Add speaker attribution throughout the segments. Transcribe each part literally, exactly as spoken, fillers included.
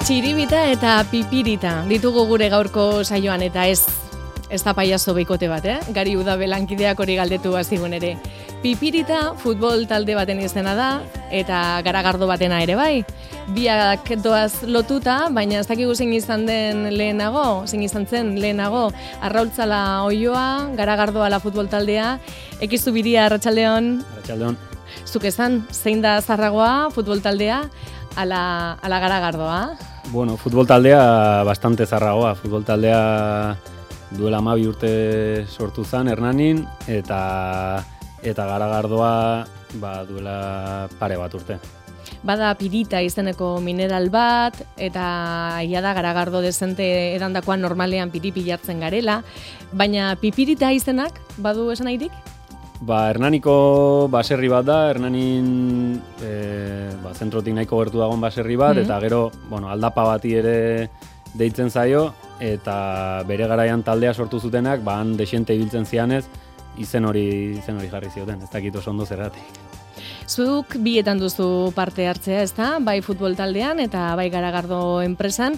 Speaker 1: Txiribita eta pipirita ditugu gure gaurko saioan, eta ez ez da paiazo beikote bat, eh? Gari Udabe lankideak hori galdetu bazigun ere. Pipirita futbol talde baten izena da, eta garagardo batena ere bai. Biak doaz lotuta, baina ez dakigu zein izan den lehenago, zein izan zen lehenago, Arraultzala Oioa, garagardoa la futbol taldea, Ekizu Biria, Arratsaldeon.
Speaker 2: Arratsaldeon.
Speaker 1: Zuk esan, zein da zarragoa futbol taldea, ala, ala garagardoa?
Speaker 2: Bueno, futbol taldea bastante zarragoa. Futbol taldea duela hamabi urte sortu zen Hernanin, eta eta garagardoa ba, duela pare bat urte.
Speaker 1: Bada pirita izeneko mineral bat, eta ia da garagardo dezente edandakoan normalean piripi jartzen garela, baina pipirita izenak badu esan nahirik?
Speaker 2: Ba, Hernaniko baserri bat da, Hernanin e, ba, zentrotik nahiko gertu dagoen baserri bat, mm-hmm. eta gero, bueno, aldapa bati ere deitzen zaio, eta bere garaian taldea sortu zutenak, ba, han desente ibiltzen zianez, izen hori, izen hori jarri zioten, ez dakit oso ondo zergatik.
Speaker 1: Zuk bietan duzu parte hartzea, ezta? Bai futbol taldean eta bai garagardo enpresan.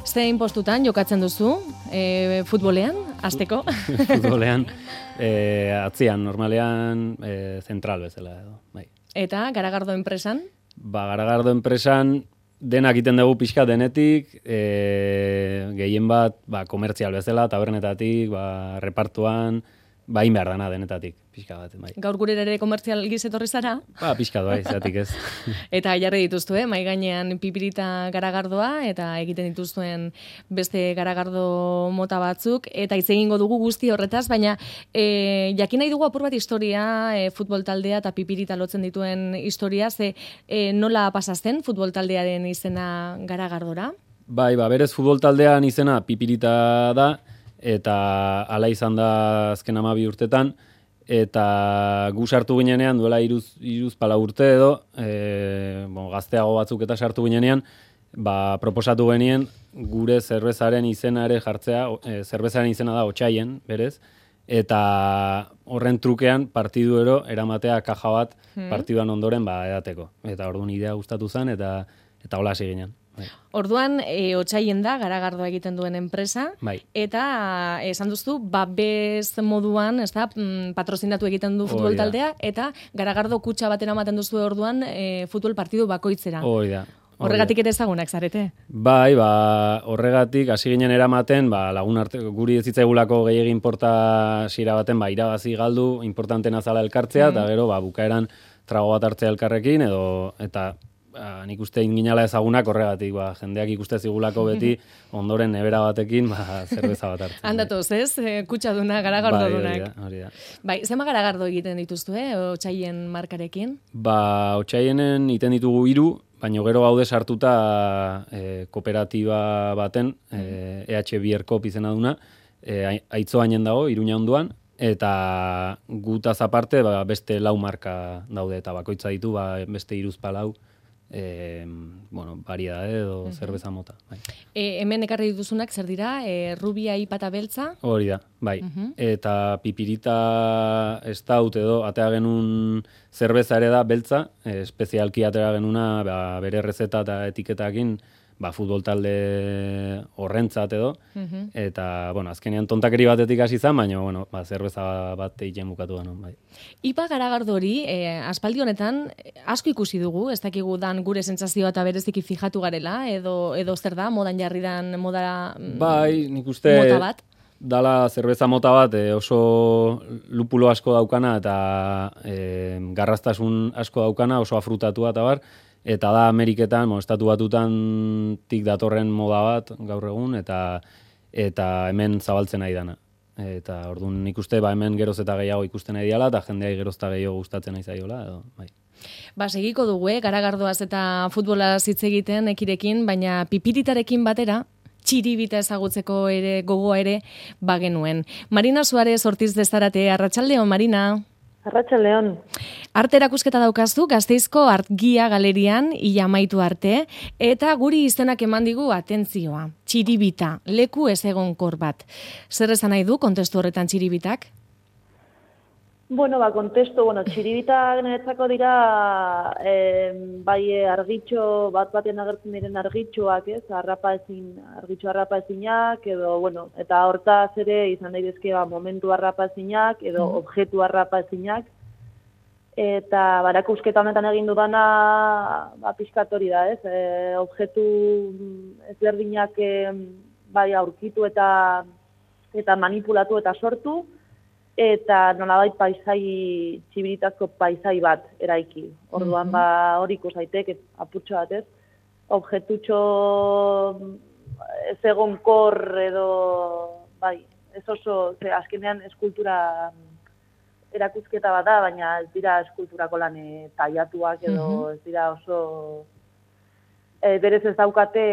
Speaker 1: Zein postutan jokatzen duzu e, futbolean, hasteko?
Speaker 2: Futbolean, e, atzian, normalean e, zentral bezala edo. Bai.
Speaker 1: Eta garagardo enpresan?
Speaker 2: Ba, garagardo enpresan denak egiten dugu pixka denetik, e, gehien bat ba, komertzial bezala, tabernetatik, ba, repartuan, ba, in behar dana denetatik, pixka bat. Bai.
Speaker 1: Gaur gure ere komertzial gizetorri zara?
Speaker 2: Ba, pixka bai, zatik ez.
Speaker 1: Eta jarri dituztu, eh? Mai gainean pipirita garagardoa, eta egiten dituzuen beste garagardo mota batzuk, eta hitz egingo dugu guzti horretaz, baina e, jakin nahi dugu apur bat historia, e, futbol taldea eta pipirita lotzen dituen historia, ze e, nola pasazten futbol taldearen izena garagardora?
Speaker 2: Bai, ba, berez futbol taldean izena pipirita da, eta hala izan da azken hamabi urtetan, eta gu sartu ginenean duela iruz, iruz pala urte edo, e, bon, gazteago batzuk eta sartu ginenean, ba, proposatu genien gure zerbezaren izena ere jartzea, e, zerbezaren izena da Otsaien, berez, eta horren trukean partiduero eramatea kaja bat hmm. partiduan ondoren ba, edateko. Eta orduan idea gustatu zen, eta eta hola hasi ginen. Bai.
Speaker 1: Orduan, e, Otsaien da, garagardoa egiten duen enpresa,
Speaker 2: bai.
Speaker 1: Eta esan duzu, babes moduan, ez da, patrozinatu egiten du futbol taldea, eta garagardo kutxa batera ematen duzu orduan e, futbol partidu bakoitzera.
Speaker 2: Hoi da.
Speaker 1: Horregatik ere ezagunak zarete?
Speaker 2: Bai, ba, horregatik, hasi ginen eramaten, ba, lagun arte, guri ez zitzaigulako gehiagin porta sira baten, ba, irabazi galdu, importantena zala elkartzea, mm. eta gero, ba, bukaeran trago bat hartzea elkarrekin, edo, eta Ba, nik uste inginala ezagunak horregatik, ba, jendeak ikuste zigulako beti ondoren nebera batekin ba, zerbeza bat hartzen.
Speaker 1: Handatoz, ez? E, kutsaduna, garagardodunak.
Speaker 2: Bai, hori da.
Speaker 1: Bai, zema garagardo egiten dituztu, eh? Otsaien markarekin?
Speaker 2: Ba, Otsaienen egiten ditugu hiru, baina gero gaude sartuta e, kooperatiba baten, e, E H Bierkop izena duna, e, Aitzoainen dago, Iruña onduan, eta gutaz aparte ba, beste lau marka daude, eta bakoitza ditu ba, beste hiruzpalau. E, bueno, variedade edo uh-huh. zerbeza mota. Bai.
Speaker 1: E, hemen ekarri dituzunak zer dira? E, rubia ipata beltza?
Speaker 2: Hori da, bai. Uh-huh. Eta pipirita estaut edo atea genuen zerbeza ere da beltza, e, espezialki atea genuna ba, bere rezeta eta etiketakin ba, futbol talde horrentzat edo, uh-huh. eta, bueno, azkenean tontakeri batetik hasi izan, baina, bueno, ba, zerbeza bat egiten bukatu da, no? Bai.
Speaker 1: Ipa garagardo hori, eh, aspaldi honetan, asko ikusi dugu, ez dakigu dan gure sentsazioa eta bereziki fijatu garela, edo, edo zer da, modan jarri dan, moda
Speaker 2: bai, nik uste,
Speaker 1: mota bat?
Speaker 2: Dala zerbeza mota bat, e, oso lupulo asko daukana, eta e, garraztasun asko daukana, oso afrutatua eta bar, eta da Ameriketan, mo, estatu batutan tik datorren moda bat gaur egun, eta eta hemen zabaltzen nahi dana. Eta orduan nik uste, ba, hemen geroz eta gehiago ikusten nahi diala, eta jendeai geroz eta gehiago gustatzen nahi zaiola, edo, bai.
Speaker 1: Ba, segiko dugu, eh? Garagardoaz eta futbolaz hitz egiten ekirekin, baina pipiritarekin batera, txiribita ezagutzeko ere, gogoa ere, bagenuen. Marina Suarez Ortiz de Zarate, Arratsaldeon, Marina.
Speaker 3: Arratsaldeon.
Speaker 1: Arte erakusketa daukazu Gasteizko Artgia galerian ia amaitu arte, eta guri izenak eman digu atentzioa. Txiribita, leku ezegonkor bat. Zer esan nahi du kontestu horretan txiribitak?
Speaker 3: Bueno, ba, kontesto, bueno, txiribitak niretzako dira, eh, bai argitxo, bat batean agertzen diren argitxoak, ez, arrapa ezin, argitxo arrapa ezinak, edo, bueno, eta hortaz ere izan daitezke ba, momentu arrapa ezinak, edo mm. objektu arrapa ezinak, eta barakusketa honetan egin dudana, ba, pixkat hori da, ez, e, objektu ezberdinak e, bai aurkitu eta, eta manipulatu eta sortu, eta nolabait paisai, txibiritazko paisai bat eraiki. Orduan, mm-hmm. ba, hori ikus daitek, apurtxo bat, ez? Objektutxo ez egonkor edo, bai, ez oso, ze azkenean eskultura erakusketa bat da, baina ez dira eskulturako lan taiatuak edo mm-hmm. ez dira oso, e, berez ez daukate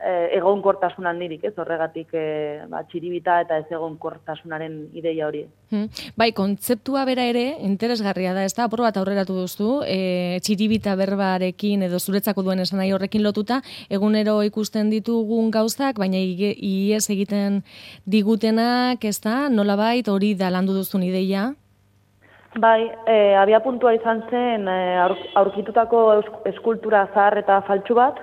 Speaker 3: egonkortasunan nirik, ez horregatik e, ba, txiribita eta ez egonkortasunaren ideia hori.
Speaker 1: Hmm. Bai, kontzeptua bera ere interesgarria da, ez da, apur bat aurreratu duzu, e, txiribita berbarekin edo zuretzako duen esan nahi horrekin lotuta, egunero ikusten ditugun gauzak, baina ies egiten digutenak, ez da, nolabait hori da landu duzun ideia?
Speaker 3: Bai, e, abia puntua izan zen e, aurkitutako eskultura zahar eta faltsu bat,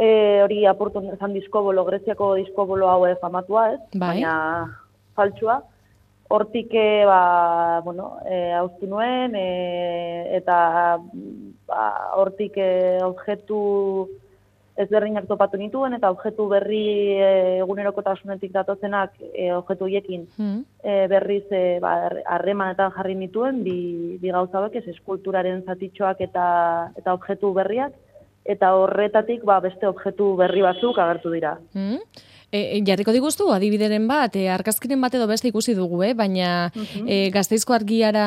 Speaker 3: E, hori apurtu ezan diskobolo, Greziako diskobolo hau famatua, ez?
Speaker 1: Bai.
Speaker 3: Baina faltsua. Hortik, e, ba, bueno, e, hauztu nuen, e, eta ba, hortik e, objektu ezberdinak topatu nituen, eta objektu berri e, egunerokotasunetik datozenak e, objektu hiekin hmm. e, berriz e, ba, harremanetan jarri nituen, bi, bi gauza hauek, ez eskulturaren zatitxoak eta, eta objektu berriak, eta horretatik ba, beste objektu berri batzuk agertu dira.
Speaker 1: Mm. E, jarriko diguztu, adibideren bat, e, argazkiren bat edo beste ikusi dugu, eh? Baina uh-huh. e, Gasteizko argiara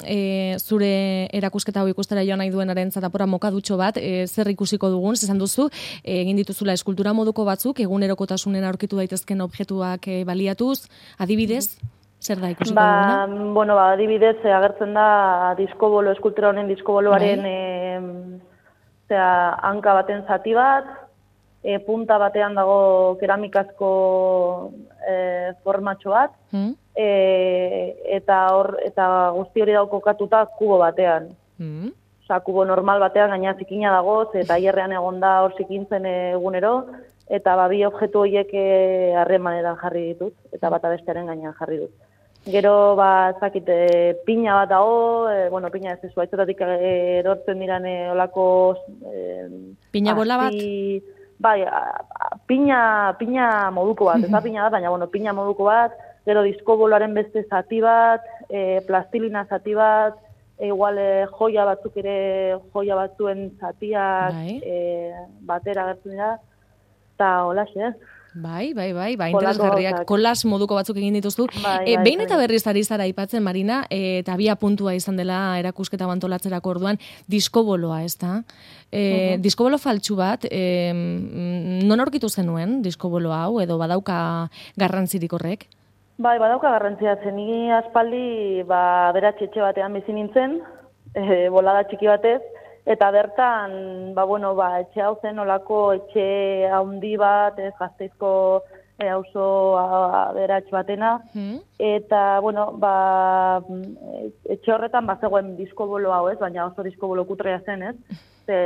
Speaker 1: e, zure erakusketa hau ikustera joan nahi duenaren zatapora mokadutxo bat, e, zer ikusiko dugun, esan duzu, e, egin dituzula eskultura moduko batzuk, egunerokotasunen aurkitu daitezken objektuak e, baliatuz, adibidez, zer da ikusiko
Speaker 3: ba,
Speaker 1: duguna?
Speaker 3: Bueno, ba, adibidez, e, agertzen da diskobolo, eskultura honen diskoboloaren bai. e, Osea, hanka baten zati bat, e, punta batean dago keramikazko e, formatxo bat, mm. e, eta, hor, eta guzti hori dago kokatuta kubo batean. Mm. Osea, kubo normal batean gaina zikina dago, eta hierrean egon da hor zikintzen egunero, eta ba, bi objektu horiek harremanetan jarri ditut, eta bata bestearen gainean jarri dut. Gero, ba, ezakit, e, pina bat dago, e, bueno, pina ez zu, aitzetatik erortzen diran e, olako... E,
Speaker 1: pina bola bat?
Speaker 3: Bai, a, a, pina, pina moduko bat, ez da pina bat, baina, bueno, pina moduko bat, gero diskoboloaren beste zati bat, e, plastilina zati bat, e, igual e, joia batzuk ere, joia batzuen zatiak e, batera gertzen dira, eta holaxe, ez?
Speaker 1: Bai, bai, bai, bai, interesgarriak, kolas moduko batzuk egin dituztu.
Speaker 3: Bai,
Speaker 1: e,
Speaker 3: bai,
Speaker 1: behin
Speaker 3: bai.
Speaker 1: eta berriz ari zara aipatzen, Marina, e, eta abia puntua izan dela erakusketa bantolatzerako orduan, diskoboloa, ez da? E, uh-huh. Diskobolo faltsu bat, e, non aurkitu zenuen diskobolo hau, edo badauka garrantzirik horrek?
Speaker 3: Bai, badauka garrantzia zen, nigi aspaldi, ba, beratxe etxe batean bizi nintzen, e, bolada txiki batez, eta bertan, ba, bueno, ba, etxe hau zen olako etxe haundi bat, ez Gasteizko e, auzo aberats batena, hmm. eta, bueno, ba, etxe horretan bazegoen diskobolo hau, ez, baina oso diskobolo kutrea zen, ez, ze,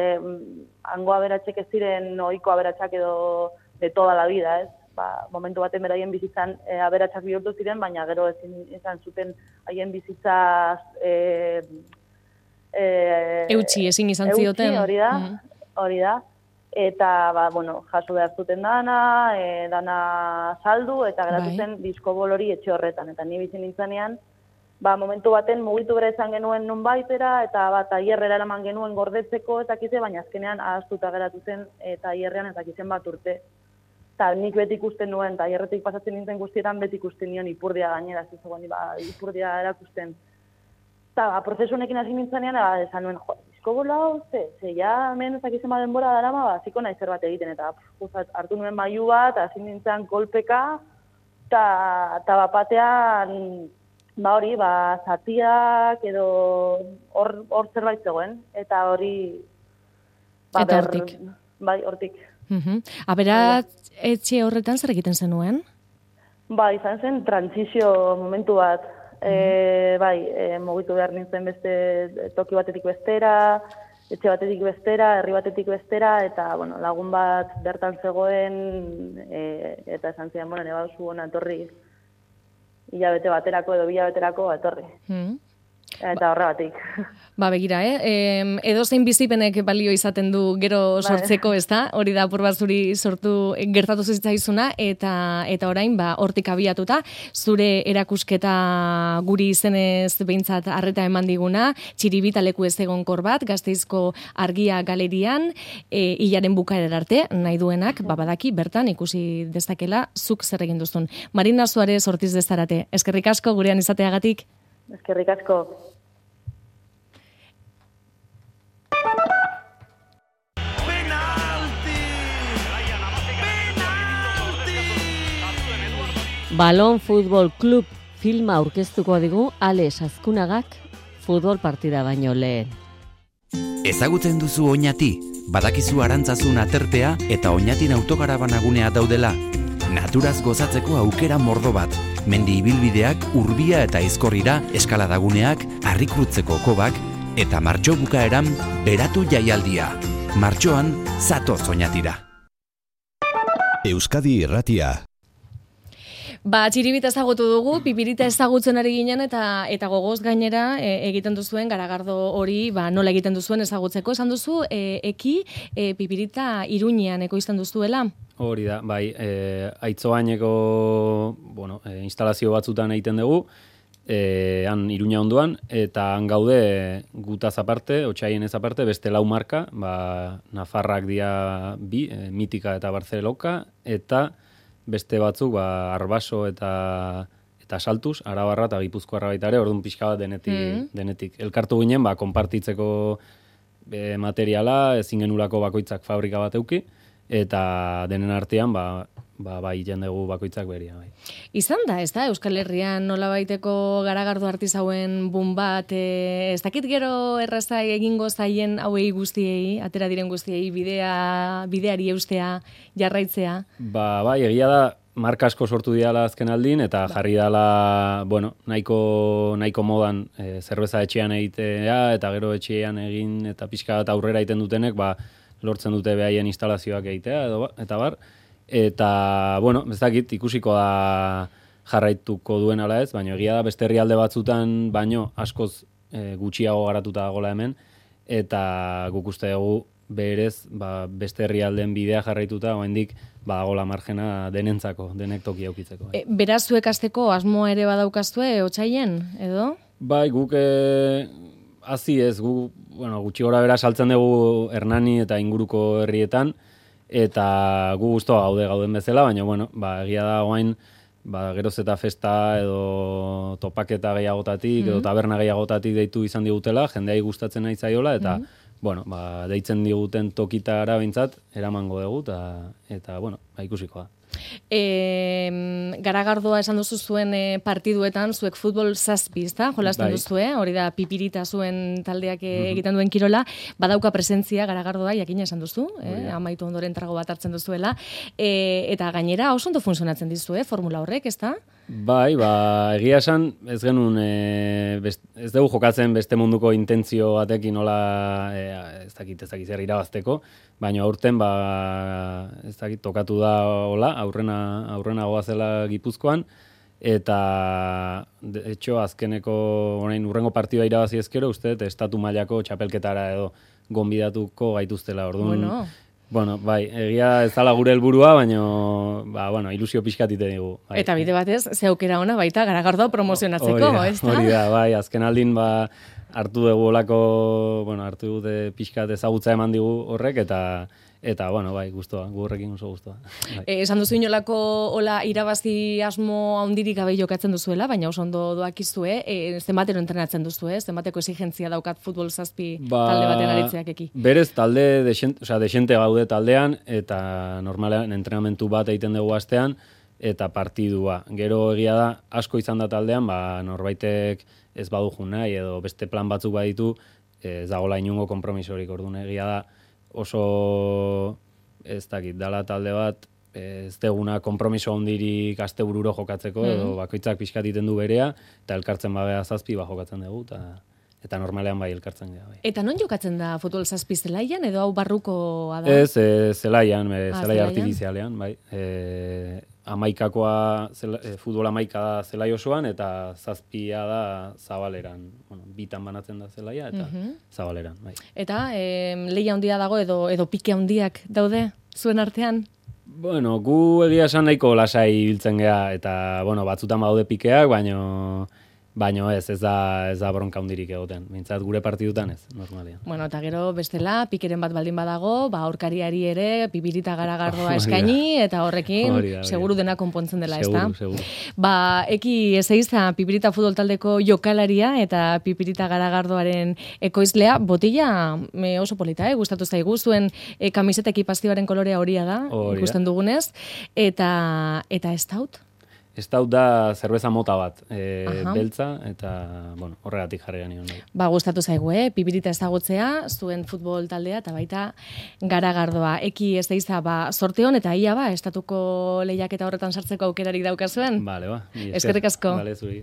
Speaker 3: hango aberatxek ez ziren ohiko aberatsak edo de toda la vida, ez, ba, momentu baten beraien bizitzan e, aberatsak bihurtu ziren, baina gero ezin izan zuten haien bizitza e,
Speaker 1: E, eutxi, ezin izan zioten.
Speaker 3: Eutxi, hori da, mm. hori da. Eta, ba, bueno, jaso behar zuten dana, e, dana saldu, eta geratu zen diskobolori etxe horretan. Eta ni bizin nintzanean, ba, momentu baten mugitu bere izan genuen nun baitera, eta ba, taierrera eraman genuen gordetzeko, eta kize, baina azkenean ahaztuta geratu zen, eta taierrean eta kizen bat urte. Eta nik beti ikusten nuen, taierretik pasatzen nintzen guztietan beti ikusten nion ipurdia gainera, zizegoen, ba, ipurdia erakusten. Eta, ba, prozesu honekin hasi nintzanean, ba, esan nuen, jo, diskobolo hau, ze, ze, ja, hemen ezak izan denbora darama, ba, ziko nahi zer bat egiten, eta pff, hartu nuen mailu bat, hasi nintzen kolpeka, eta bapatean, ba, hori, ba, zatiak, edo hor, hor zerbait zegoen, eta hori, ba,
Speaker 1: eta hortik.
Speaker 3: Bai, hortik.
Speaker 1: Uh-huh. Aberat, etxe horretan zer egiten zenuen?
Speaker 3: Ba, izan zen, trantzizio momentu bat, e, bai, e, mugitu behar nintzen beste toki batetik bestera, etxe batetik bestera, herri batetik bestera, eta, bueno, lagun bat bertan zegoen, e, eta esan zidan, bueno, neba duzu hona etorri, hilabete baterako edo bilabeterako etorri. Mm. Eta horregatik.
Speaker 1: Ba, begira, eh? E, edo zein bizipenek balio izaten du gero sortzeko, ez da? Hori da apur bat zuri sortu gertatu zitzaizuna, eta eta orain, ba, hortik abiatuta, zure erakusketa guri izenez behintzat arreta eman diguna, Txiribita leku ez egonkor bat, Gasteizko Argia galerian, e, hilaren bukaerar arte, nahi duenak, ba, badaki, bertan ikusi dezakela, zuk zer egin duzun. Marina Suarez Ortiz dezarate, eskerrik asko gurean izateagatik.
Speaker 3: Eskerrik asko.
Speaker 4: Balon Futbol Club filma aurkeztuko digu Alex Azkunagak futbol partida baino lehen.
Speaker 5: Ezagutzen duzu Oñati, badakizu Arantzazun aterpea eta Oñatin autokarabangunea daudela. Naturaz gozatzeko aukera mordo bat. Mendi ibilbideak, urbia eta ezkorrira, eskaladaguneak, harrikrutzeko kobak, eta martxo bukaeran beratu jaialdia. Martxoan, zatoz Oñatira.
Speaker 6: Euskadi Irratia.
Speaker 1: Ba, Txiribita ezagutu dugu, Pipirita ezagutzen ari ginen, eta eta gogoz gainera e, egiten duzuen garagardo hori, ba, nola egiten duzuen ezagutzeko. Esan duzu, e, eki e, Pipirita Iruñean ekoizten duzuela?
Speaker 2: Hori da, bai, e, aitzoaineko, bueno, e, instalazio batzutan egiten dugu, e, han Iruña ondoan, eta han gaude gutaz aparte, otxaien ez aparte, beste lau marka, ba, Nafarrak dia bi, e, Mitika eta Barceloka, eta beste batzuk, ba, Arbaso eta eta Saltuz, Arabarra eta Gipuzkoarra baita ere, orduan pixka bat denetik, mm. denetik. Elkartu ginen, ba, konpartitzeko e, materiala, ezin genulako bakoitzak fabrika bat euki, eta denen artean, ba, ba, bai jendegu bakoitzak beria. Bai.
Speaker 1: Izan da, ez da, Euskal Herrian nola baiteko garagardo artizauen bun bat, e, ez dakit gero erraza egingo zaien hauei guztiei, atera diren guztiei, bidea, bideari eustea, jarraitzea? Ba, bai, egia da, marka asko sortu diala azken aldin, eta ba. jarri dala, bueno, nahiko, nahiko modan e, zerbeza etxean egitea, eta gero etxean egin, eta pixka bat aurrera egiten dutenek, ba, lortzen dute behaien instalazioak egitea, edo, eta bar, eta, bueno, ez dakit, ikusiko da jarraituko duen ala ez, baina egia da beste herrialde batzutan, baino askoz e, gutxiago garatuta dagoela hemen, eta guk uste dugu berez, ba, beste herrialdeen bidea jarraituta, oraindik badagola margena denentzako, denek toki aukitzeko. Bai. E, beraz, zuek hasteko asmoa ere badaukazue, otsaien, edo? Bai, guk e, hazi ez, gu, bueno, gutxi gora bera saltzen dugu Hernani eta inguruko herrietan, eta gu guztua gaude gauden bezala, baina, bueno, ba, egia da oain, ba, geroz eta festa edo topaketa gehiagotatik, mm-hmm. edo taberna gehiagotatik deitu izan digutela, jendeai gustatzen nahi zaiola, eta, mm-hmm. bueno, ba, deitzen diguten tokitara behintzat, eramango dugu, eta, eta bueno, ba, ikusiko da. E, garagardoa esan duzu zuen e, partiduetan, zuek futbol zazpi, ezta? Jolasten bai. Duzu, eh? Hori da Pipirita zuen taldeak mm-hmm. egiten duen kirola, badauka presentzia garagardoa, jakina esan duzu, eh? Amaitu ondoren trago bat hartzen duzuela, e, eta gainera oso ondo funtzionatzen dizu, eh? Formula horrek, ezta? Bai, ba, egia esan, ez genuen, e, best, ez dugu jokatzen beste munduko intentzio batekin nola, e, ez dakit, ez dakit zer irabazteko, baina aurten, ba, ez dakit, tokatu da hola, aurrena, aurrena goazela Gipuzkoan, eta, de hecho, azkeneko, orain, urrengo partida irabazi ezkero, uste, estatu mailako txapelketara edo gonbidatuko gaituztela, orduan. Bueno. Bueno, bai, egia ez dala gure helburua, baina, ba, bueno, ilusio pixkatite digu. Bai. Eta bide batez, ze aukera ona baita garagardoa promozionatzeko, ez da? Hori da, bai, azken aldin, ba, hartu dugu olako, bueno, hartu dute pixkat ezagutza eman digu horrek, eta, eta bueno, bai, guztua, gu horrekin oso guztua. Bai. E, esan duzu inolako, hola, irabazi asmo handirik gabe jokatzen duzuela, baina oso ondo doakizue, e, zenbatero entrenatzen duzu, eh? Zenbateko exigentzia daukat futbol zazpi ba, talde baten aritzeak eki. Berez, talde, desente, oza, desente gaude taldean, eta normalean entrenamentu bat egiten dugu astean, eta partidua. Gero egia da, asko izan da taldean, ba, norbaitek ez badu jun nahi, edo beste plan batzuk baditu, ez dagoela inungo konpromisorik, orduan egia da, oso, ez dakit, dala talde bat,
Speaker 2: ez deguna kompromiso handirik astebururo jokatzeko, edo bakoitzak pixkat iten du berea, eta elkartzen babea zazpi ba jokatzen dugu, eta eta normalean bai elkartzen gara. Bai.
Speaker 1: Eta non jokatzen da futbol zazpi zelaian, edo hau barrukoa da?
Speaker 2: Ez, e, zelaian, e,
Speaker 1: ah,
Speaker 2: zelai artifizialean, bai. E, amaikakoa, zela, e, futbol amaika da zelai osoan, eta zazpia da zabaleran. Bueno, bitan banatzen da zelaia, eta uh-huh. zabaleran, bai.
Speaker 1: Eta e, lehia handia dago, edo, edo pike handiak daude zuen artean?
Speaker 2: Bueno, gu egia esan nahiko lasai biltzen gea, eta, bueno, batzutan badaude pikeak, baino... Baina ez, ez da, ez da bronka hundirik egoten. Mintzat gure partidutan ez, normalian.
Speaker 1: Bueno, eta gero bestela, pikeren bat baldin badago, ba, aurkariari ere, pipirita garagardoa eskaini, eta horrekin, Orida, Orida. seguru dena konpontzen dela, ez da?
Speaker 2: Seguru, seguru.
Speaker 1: Ba, eki ezeiza pipirita futbol taldeko jokalaria, eta pipirita garagardoaren ekoizlea, botila me oso polita, eh? Gustatu zaigu, zuen e, kamiseta ekipazioaren kolorea horia da,
Speaker 2: Orida.
Speaker 1: ikusten dugunez, eta, eta ez daut?
Speaker 2: Ez daut da zerbeza mota bat, e, beltza, eta, bueno, horregatik jarri gani honi.
Speaker 1: Ba, gustatu zaigu, eh? Pipirita ezagutzea, zuen futbol taldea, eta baita garagardoa. Eki ez deiza, ba, sorteon, eta ia ba, estatuko lehiaketa horretan sartzeko aukerarik daukazuen.
Speaker 2: Bale, ba.
Speaker 1: Eskerrik asko.
Speaker 2: Bale, zuri.